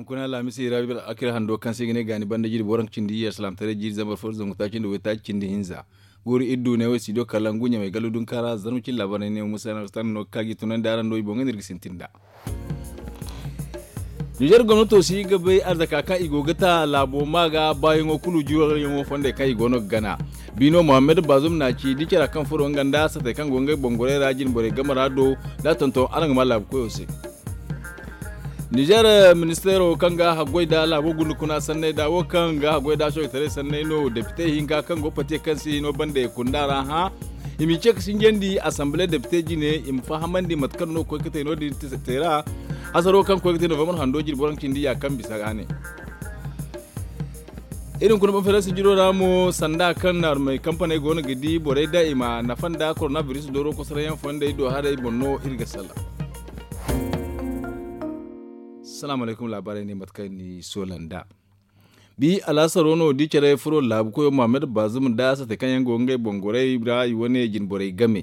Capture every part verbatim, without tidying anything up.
Kuna laamisi rabi bala akira hando kaŋ se ga ne gaani banda jiri booraŋ cindi iyye salaamtaray jiiri zambar fo zangu taaci nda waytaaci cindi hinza. Guuru iri du ne wo studio kalangu ɲamay gallu dunkaara zarma cindi laabaray ne wo musa yaŋ no ga ka ga i tunandi araŋ do i boŋ ga no iri ga sintin nd'a. Nizer gomnato si ga bay arzaka kaŋ i go ga ta laabo ma ga baayaŋo kulu juwaryaŋo fondey kaŋ i go no ga gana. Biino muhammad baazum na ci di cara kaŋ furo nga nda satey kaŋ go ngey boŋ gorey ra jine borey game ra do da tonton araŋ ga ma laabu koyo se. Nizer ministeero kaŋ ga haggoy da laabo gunda kuna sanney da wo kaŋ ga haggoy da soojitaray sanney no depite hinka kaŋ go pate kaŋ si hino bande kunda ra hã. I m'i ce ga sinjandi asamble depite jine i ma fahamandi mate kaŋ no koy ga te no- din te ra. Hasaro kaŋ koy ga te novembre hando jirbi waranka cindi ya kaŋ bisa ga ne. Iri hunkuna banferansi jiro ra mo sanda kaŋ naarumey kampaney go no ga di borey da i ma nafa nda koronabiris dooro kosarayaŋ fondey do haray boŋ no iri ga sala. Salaamu alaykum laabaarey ne mate kaŋ ni soola nd'a. Bi alaasaro no di care furo laabu koyo muhammad baazum nda sate kaŋ yaŋ go ngey boŋ gorey ra i wane jine borey game.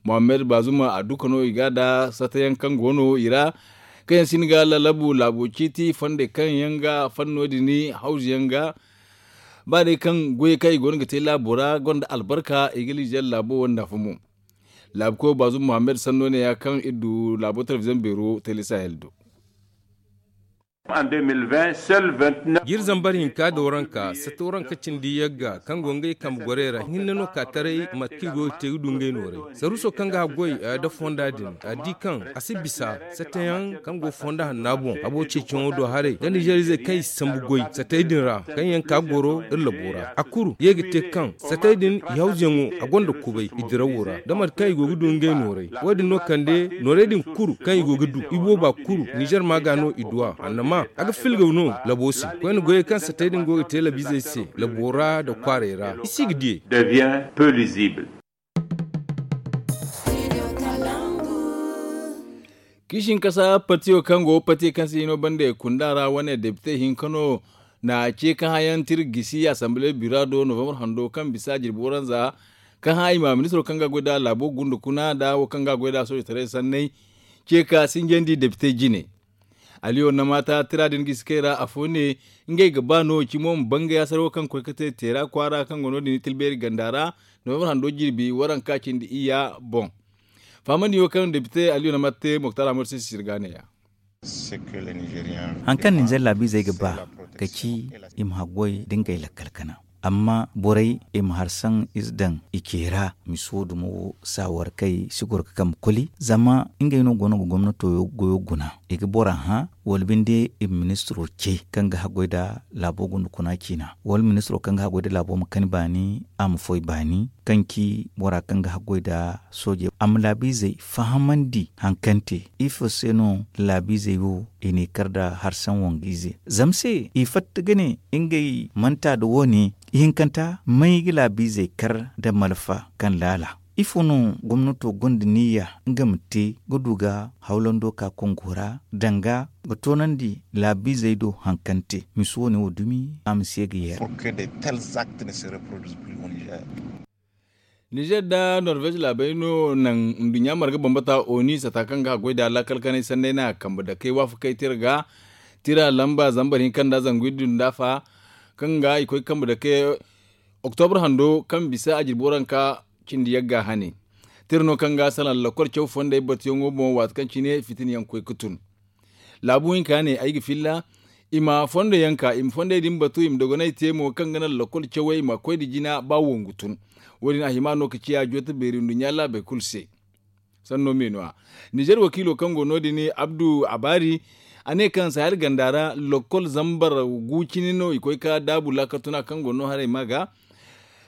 Muhammad baazum a duka no i ga da satayaŋ kaŋ go no i ra kaŋ yaŋ si ni ga lalabu laabo ciiti fondey kaŋ yaŋ ga fanno din hawzu yaŋ ga. Ba day kaŋ goyey kaŋ i go no ga te laabo ra gonda albarka i ga liize laabo wanda fo mo. Laabu koyo baazum muhammad sanno ne ya kaŋ iri du laabo telebiziyoŋ beero tele sahel do. Jiiri zambar hinka da waranka sata waranka cindi yagga kaŋ go ngey kambe gorey ra hinne no ka taray mate kaŋ i go ga te ga du ngey noorey saruuso kaŋ ga haggoy da fonda din a di kaŋ a si bisa satayaŋ kaŋ go fonda hanna boŋ habo ceeciyaŋo do haray da nizeer izey kaŋ i si sambu goy satey din ra kaŋ yaŋ ka goro iri labo ra a kuru ye ga te kaŋ satey din i hawzuyaŋo a gonda kubay i dirawo ra da mate kaŋ i go ga du ngey noorey wo- din no kande noorey din kuru kaŋ i go ga du i booba kuru nizer ma ga no i du a annama a ga filgaw no labo se koyne goyey kaŋ satey din go ga te labiizey se labo ra nda kwaarey ra i si ga diyey. Kiisin kasa patiyo kaŋ go patiyo kaŋ se hino bande kunda ra wane depite hinka no na ce ka hayan tir gisi asamble bira do novembre hando kaŋ bisa jirbi waranza ka hã i ma ministiro kaŋ ga goy da laabo gunda kuna da wo kaŋ ga goy da soojitaray sanney ce ka sinjandi depite jine. Aliyo na mata tira din gisi kay ra afo ne ngey ga ba no cimo ma bangay asar wo kaŋ koy ka te teera kwaara kaŋ go no- din tilbeeri ganda ra novembre hando jirbi waranka cindi iyya boŋ. Fahamandi wo kaŋ depite aliyo na mata te moktar amadu se sisir ga ne ya. Haŋ kaŋ ninzeer laabiizey ga ba ga ci i ma haggoy da ngey lakkal kana amma borey i ma harsaŋ ize daŋ i ce ra misi wo dumo wo saawarkey si goro ga kambe koli zama ngey no go no ga gomnato goyo guna i ga bora hã wala binde i ma ministiro ce kaŋ ga haggoy nda laabo gunda kuna ciina wala ministiro kaŋ ga haggoy nda laabo ma kani baani a ma foy baani kaŋ ci bora kaŋ ga haggoy nda soojey a ma laabiizey fahamandi haŋ kaŋ te ifo se no laabiizey wo i n'i kar nda harsaŋ wang'ize zama se i fatta ga ne ngey manta nda wo- ne ihinkanta may ga laabiizey kar nda malfa kaŋ laala ifo no gomnato gonda niyya nga ma te ga du ga hawlando ka kongo ra danga ga toonandi laabiizey do haŋ kaŋ te misi wo- ne wo dumi a ma se ga yeera. Nizer nda norvez laabey no naŋ nduɲɲa marga bambata oni sata kaŋ ga haggoy da laakal kanay sanney na kambe dakey waafakey tira ga tira lamba zambar hinka nda zangu iddu nda fa kaŋ ga i koy kambe dakey oktobre hando kaŋ bisa a jirbi waranka cindi yagga hane tira no kaŋ ga salaŋ lakkol caw fondey batuyaŋo boŋ waati kaŋ cine fitina yaŋ koy ga tun. Laabu hinka ne ay ga filla i ma fondo yaŋ ka i ma fondey din batu i ma dogonay te mo kaŋ ga naŋ lakkol cawey ma koy nda jina ba wongu tun. Wo- din a hima no ga ciya joote beeri nduɲɲa laabey kulu se. Sanno me no- ya nizer wakiilo kaŋ go no- din abdu abaari a ne kaŋ sahel ganda ra lakkol zambar gu cine no i koy ga daabu laakal tuna kaŋ go no haray ma ga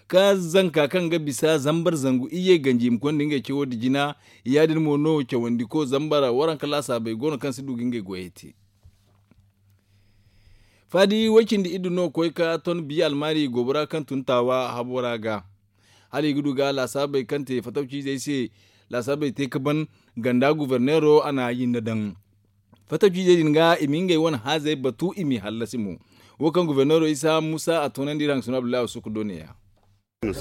ka zanka kaŋ ga bisa zambar zangu iyye ganji i ma konda ngey cawo nda jina. Ya- din mo no cawandiko zambar waranka laasaabey go no kaŋ si du ga ngey goyey te. Faadi way-cindi iddu no koy ka ton biya almaari goobora kaŋ tun taawa habo ra ga hala i ga du ga laasaabey kaŋ te fatawciizey se laasaabey te ga ban ganda guberneero a na yinna daŋ. Fatawciizey din ga i ma ngey wane haazey batu i m'i hallasi mo. Wo kaŋ guberneero isa muusa a toonandi iri hangasino abdullahi asuku do neeya. Iri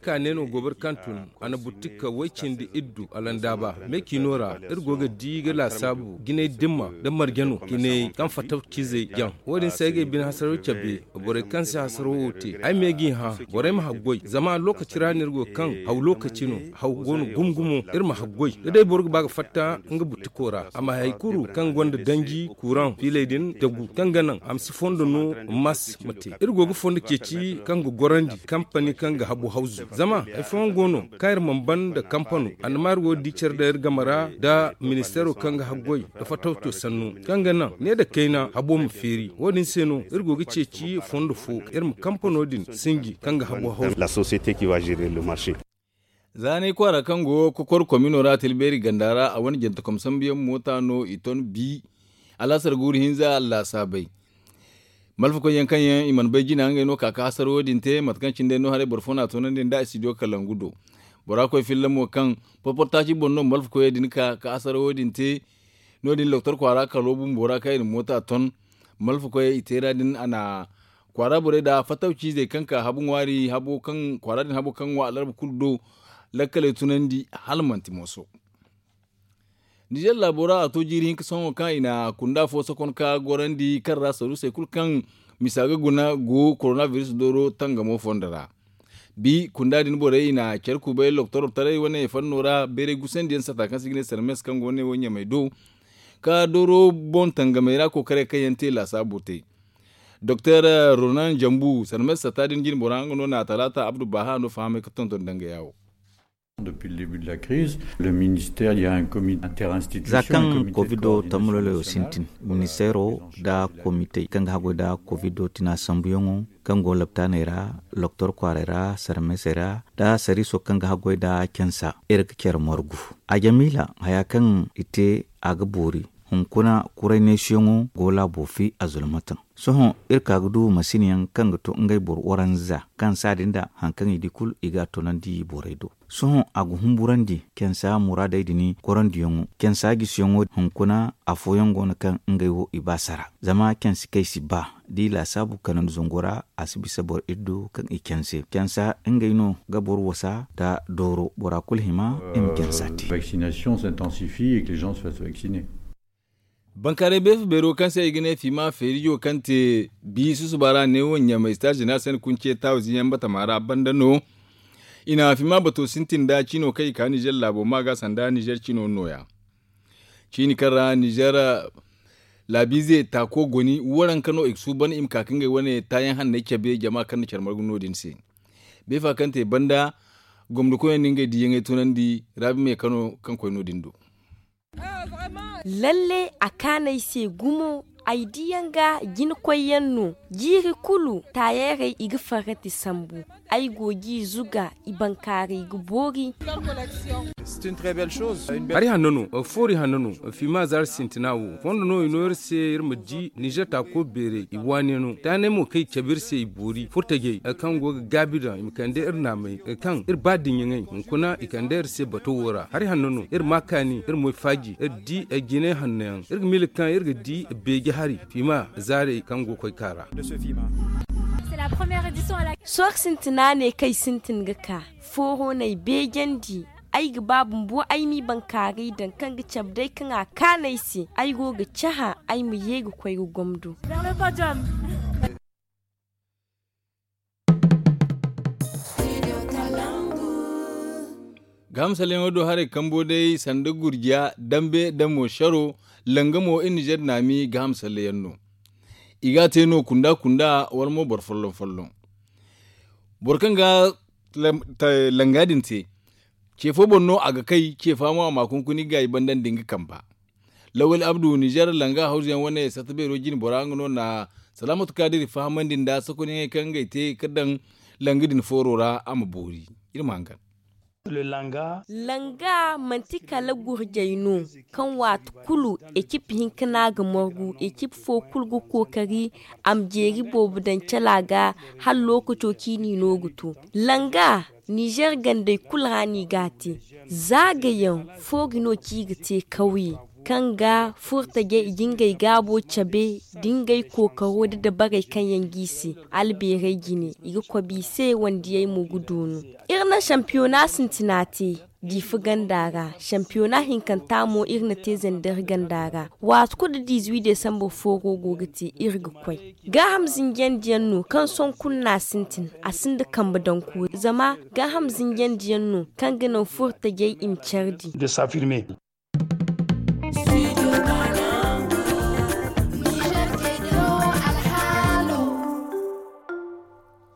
ka ne no gobar kaŋ tun a na butika way cindi iddu alandaaba me kino ra. Iri go ga di ga laasaabu jinay dimma nda marje no jinay kaŋ fattaw ciizey jaŋ. Wo- din se ay ga ay bine hasaraw cabe borey kaŋ se hasaraw wo te ay ma ye g'i hã. Borey ma haggoy zama lookaci ra no iri go kaŋ haw lookaci no. Haw go no gumo gumo. Iri ma haggoy da day boro ga ba ga fatta nga butiko ra a ma hay kulu kaŋ gonda danji kuraŋ fiiley din dagu kaŋ ga naŋ a ma si fondo no. Mas ma te iri go ga fondo ceeci kaŋ ga gorandi kampani kaŋ ga habu hawzu zama hari fooyaŋ go no kaŋ iri mana ban nda kampano. Annamaa iri go ga di care daŋ iri game ra nda ministeero kaŋ ga haggoy nda fattawco sannu kaŋ ga naŋ ne nda kayna habo ma feeri wo- din se no iri go ga ceeci fondo fo iri ma kampano din sinji kaŋ ga habo hawzu. Za n'ay kwaara kaŋ go kokor komino ra tilbeeri ganda ra a wane jantakom sambuyaŋ moota no i ton bi. Alaasar guuru hinza laasaabey malfakoy yaŋ kaŋ yaŋ i mana bay jina ngey no ka ka hasarawo din te mate kaŋ cine day no haray boro fo no a toonandi nda a si du kalangu do. Bora koy filla mo kaŋ porportaaci boŋ no malfakoyey din ka ka hasarawo din te. No- din doktor kwaara kalo bumbo ra kaŋ i na moota ton malfakoyey i teera din a na kwaara borey nda fattaw ciizey kaŋ ka habu ŋwaari habo kaŋ kwaara din habo kaŋ ŋwa alarba kulu do. Lakkaley tunandi hala manti mooso. Nizer laabo ra a to jiiri hinka sohõ kaŋ i na kunda fo sokon ka gorandi kaŋ ra saruusey kulu kaŋ misa ga guna go koronabiris dooro tangamo fondo ra. Bi kunda din borey i na care kubay loktor taray wane fanno ra bayray gusandiyaŋ sata kaŋ se i ga ne sarmes kaŋ go ne wo ɲamey do ka dooro boŋ tangamey ra kookaray kaŋ yaŋ te laasaabu te. Doktor ronan jambu sarmes sata din jinbora nga no na talaata abdu baha no fahamay ga tonton danga yaawo. Za kaŋ kovido tammaloloyo sintin ministeero nda komitey kaŋ ga haggoy nda kovido tina sambuyaŋo kaŋ go laptaaney ra loktor kwaaray ra sarmesey ra nda sariiso kaŋ ga haggoy nda cansa iri ga care margu. A jamiila haya kaŋ i te a ga boori hunkuna kuray neesiyaŋo go laabo fi a zulmataŋ. Sohõ iri ka ga du masin yaŋ kaŋ ga to ngey boro waranza kaŋ saadin da hari kaŋ i di kulu i ga a toonandi borey do. Sohõ a ga humburandi cansa muraadey din korandiyaŋo cansa gisiyaŋo hunkuna afooyaŋ go no kaŋ ngey wo i ba sara zama cansi kaŋ i si ba da i laasaabu kanandi zango ra a si bisa boro iddu kaŋ i canse cansa ngey no ga boro wasa nda dooro bora kulu hima i ma cansa te. Bankaaray beefa beero kaŋ se i ga ne fima feerijo kaŋ te bi susuba ra neewo ɲamay star jeneral sene kunce taawu ziyaŋ batama ra banda no. I na fima bato sintin nda ciino kaŋ i ka nizer laabo ma ga sanda nizer ciino nooya. Ciini kaŋ ra nizer laabiize taako goni waranka no i ga suuban i ma ka ka ngey wane taayaŋ hanney cabe jama kaŋ na care margu no- din se. Beefa kaŋ te banda gomnati koyyaŋ na ngey diiyaŋey tunandi raabi me kano kaŋ koy no- din do. Lalle a kaanay se gumo. Ay diyaŋ ga jinakoyyaŋ no jiiri kulu taayeerey i ga farrati sambu. Ay go g'i zuga i bankaaray ga boori. Hari hanno no foori hanno no fiima zaari sintina wo fondo no i no iri se iri ma di nizer taako beerey i waane no taanay mo kaŋ i cabe iri se i boori furtajey kaŋ go ga gaabi daŋ i ma kande iri naamay kaŋ iri ba diɲaŋey hunkuna i kande iri se bato wo ra hari hanno no iri ma kaani iri moy faaji iri di ay jinay hanno yaŋ iri ga miila kaŋ iri ga di beeje hari fiima zaarey kaŋ go koy ka ra. Sohõ sintina ne kaŋ ay sintin ga ka fooro no ay beejandi. Ay ga ba bumbo ay m'i bankaaray daŋ kaŋ ga cabe day kaŋ a kaanu ay se ay go ga cahã ay ma ye ga koy ga gomdo. Gahamsalyaŋo do haray kambo day sanda gurjiya dambe da mo saro langa mo iri nizer naami gahamsalyaŋ no. I ga a te no kunda kunda wala mo boro folloŋ folloŋ. Boro kaŋ ga langa din te ce fo boŋ no a ga kay ce fa mo a ma kunkuni ga i banda nda nga kamba. Lawal abdu nizer langa hawzuyaŋ wane sarta beero jine bora nga no na salaamatu kaadiri fahamandi nda sokonyaŋey kaŋ ngey te ga daŋ langa din fooro ra a ma boori. Iri ma hangan. Langa manti kala gurjay no kaŋ waati kulu ekip hinka no a ga margu ekip fo kulu ga kookari a ma jeeri boobo daŋ cala ga hala lookaco ciini no ga to. Langa nizer gandey kulu ra no i ga a te. Zaagayaŋ foori no kaŋ i ga te kawye. kaŋ ga furtajey i ga ngey gaabo cabe da ngey kookaro da dabarey kaŋ yaŋ g'i se. Albeerey jine i ga kobi i se wandiyey mo ga doonu. Iri na sampiyona sintina te diifa ganda ra. Sampiyona hinkanta mo iri na te zandar ganda ra. Waati kulu da diizuwi desambar fooro go ga te iri ga koy. Gaaham zinjandiyaŋ no kaŋ sohõ kulu no a sintin. A sinda kambe daŋ koori zama gaaham zinjandiyaŋ no kaŋ ga naŋ furtajey i ma care di.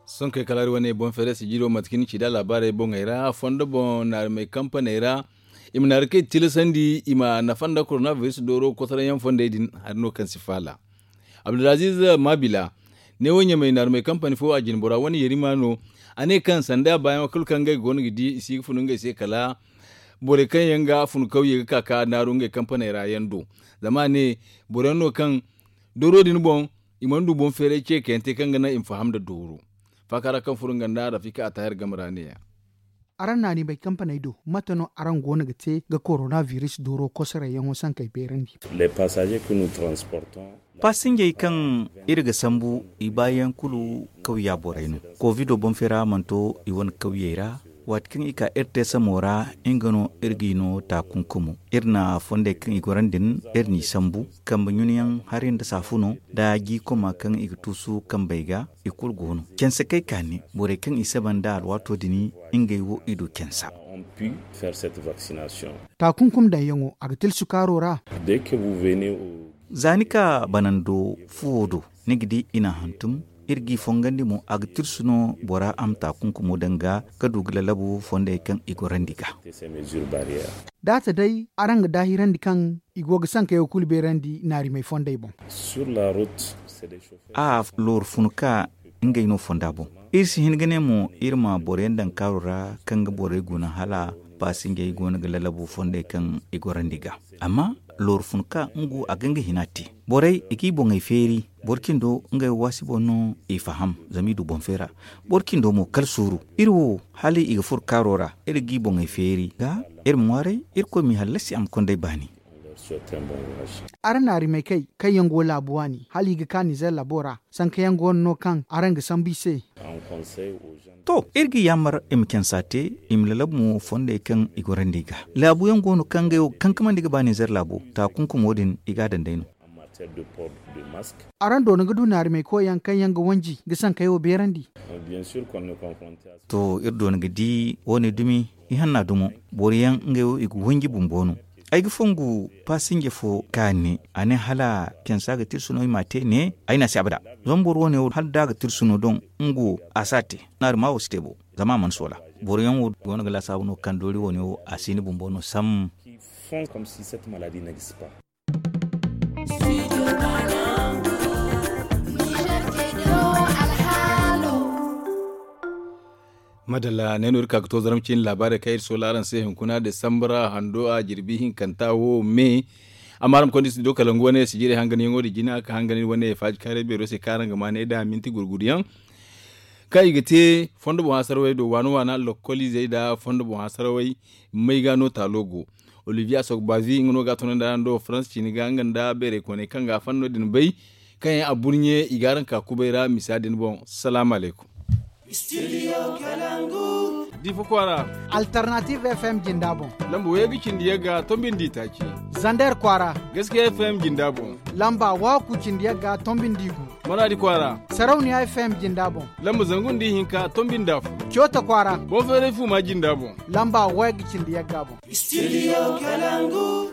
Sonkey kala hari wane boŋ feere sijiro mate kaŋ ni ci da laabaarey boŋey ra fondo boŋ naarumey kampaney ra. I ma naari kaŋ i tilasandi i ma nafa nda korona biris dooro kosoraŋ yaŋ fondey din hari no kaŋ si faala. Abdulaziz mabila ne wo ɲamay naarumey kampani fo a jine bora wane yerima no. A ne kaŋ sanda baayaŋo kulu kaŋ ngey go no ga di i si ga funu ngey se kala borey kaŋ yaŋ ga funu kawye ga ka ka naaru ngey kampaney ra yaŋ do. Zama a ne boro yaŋ no kaŋ dooro din boŋ i mana du boŋ feeray ce kayante kaŋ ga naŋ i ma faham nda dooro. Faaka ra kaŋ furo nga nda rafika a tahir game ra ne-ya. Araŋ naanimey kampaney do mate no araŋ go no ga te ga korona biris dooro kosorey yaŋo sankey beerandi? Pasinjey kaŋ iri ga sambu i baayaŋ kulu kawya borey no. Kovido boŋ feera mana to i wane kawyey ra. Waati kaŋ i ka iri te samo ra nga no iri g'i no taakunkumo. Iri na fondey kaŋ i gorandi din iri n'i sambu kambe ɲunayaŋ hari nda saafuno nda jiikoma kaŋ i ga tuusu kambey ga. I kulu go no canse kay ka ne borey kaŋ i saba nda alwaato din ngey wo i du cansa. Taakunkum daŋyaŋo a ga tilsu kaaro ra. Za ni ka banando fuwo do ni ga di i n'a hantum. Iri g'i fongandi mo a ga tirsu no bora a ma taakunkumo daŋ ga ka du ga lalabu fondey kaŋ i gorandi ga. Daata day araŋ ga daahirandi kaŋ i go ga sankayo kulu beerandi naarimey fondey boŋ. A looru fun ka ngey no fonda boŋ. Iri si hin ga ne mo iri ma boroyaŋ daŋ kaaro ra kaŋ ga borey guna hala paasinjey go no ga lalabu fondey kaŋ i gorandi ga. Amma looru fun ka nga wo a ga nga hina te. Borey i g'i boŋey feeri boro cindo ngey waasi boŋ no i faham zama i du boŋ feera. Boro cindo mo kala suuru iri wo hala i ga furo kaaro ra iri g'i boŋey feeri ga iri ma ŋwaaray. Irkoy m'i hallasi a ma kond'ey baani. Araŋ na arimey kay kaŋ yaŋ go laabu waani hala i ga ka nizer laabo ra sanka yaŋ go no no kaŋ araŋ ga sambu i se. To iri ga yaamar i ma cansa te i ma lalabu mo fondey kaŋ i gorandi i ga. Laabu yaŋ go no kaŋ ngey wo ga kankamandi ga ba nizer laabo taakunkumo din i ga a daŋ day no. Araŋ doona ga du naarimey koy yaŋ kaŋ yaŋ ga wanji ga sankey wo beerandi? To iri doona ga di wo- ne dumi. Ihanna dumo boro yaŋ ngey wo i ga wanji bumbo no. Ay ga fongu paasinje fo ka ne a ne hala cansa ga tirsu no i m'a te ne. Ay n'a se abada zama boro wo- ne wo hala da a ga tirsu no doŋ nga wo a si a te. Naarima wo si te bo zama a mana soola. Boro yaŋ wo go no ga laasaabu no kaŋ doori wo- ne wo a si ni bumbo no sam. Madalla ne no iri ka ga to zarma ciine laabaarey kaŋ iri soola araŋ se hunkuna desambara hando a jirbi hinkanta wo me. Amma araŋ ma konda iri si do kalangu wane sijirey hanganyaŋo da jina ka hangan iri wane faaji kaaray beero se kaŋ araŋ ga ma ne da minti gurguduyaŋ kaŋ i ga te fondo boŋ hasarawey do waana waana lokoliizey nda fondo boŋ hasarawey. Mayga no taalo go olivier asogbavi nga no ga a tunandi araŋ do farans ciini ga nga nda beerey kooney kaŋ ga a fanno din bay. Kaŋ yaŋ a burɲe i ga araŋ ka kubay ra misa din boŋ. Salaamu alaykum. Diifa kwaara. Alternative fm jinda boŋ. Lamba wayga cindi yagga tombindi taaci. Zander kwaara. Gaskiya fm jinda boŋ. Lamba waku cindi yagga tombindi gu. Maradi kwaara. Sarauniya fm jinda boŋ. Lamba zangu nda ihinka tombindi afo. Coota kwaara. Boŋ feeray fu ma jinda boŋ. Lamba wayga cindi yagga boŋ. Studio kalangu.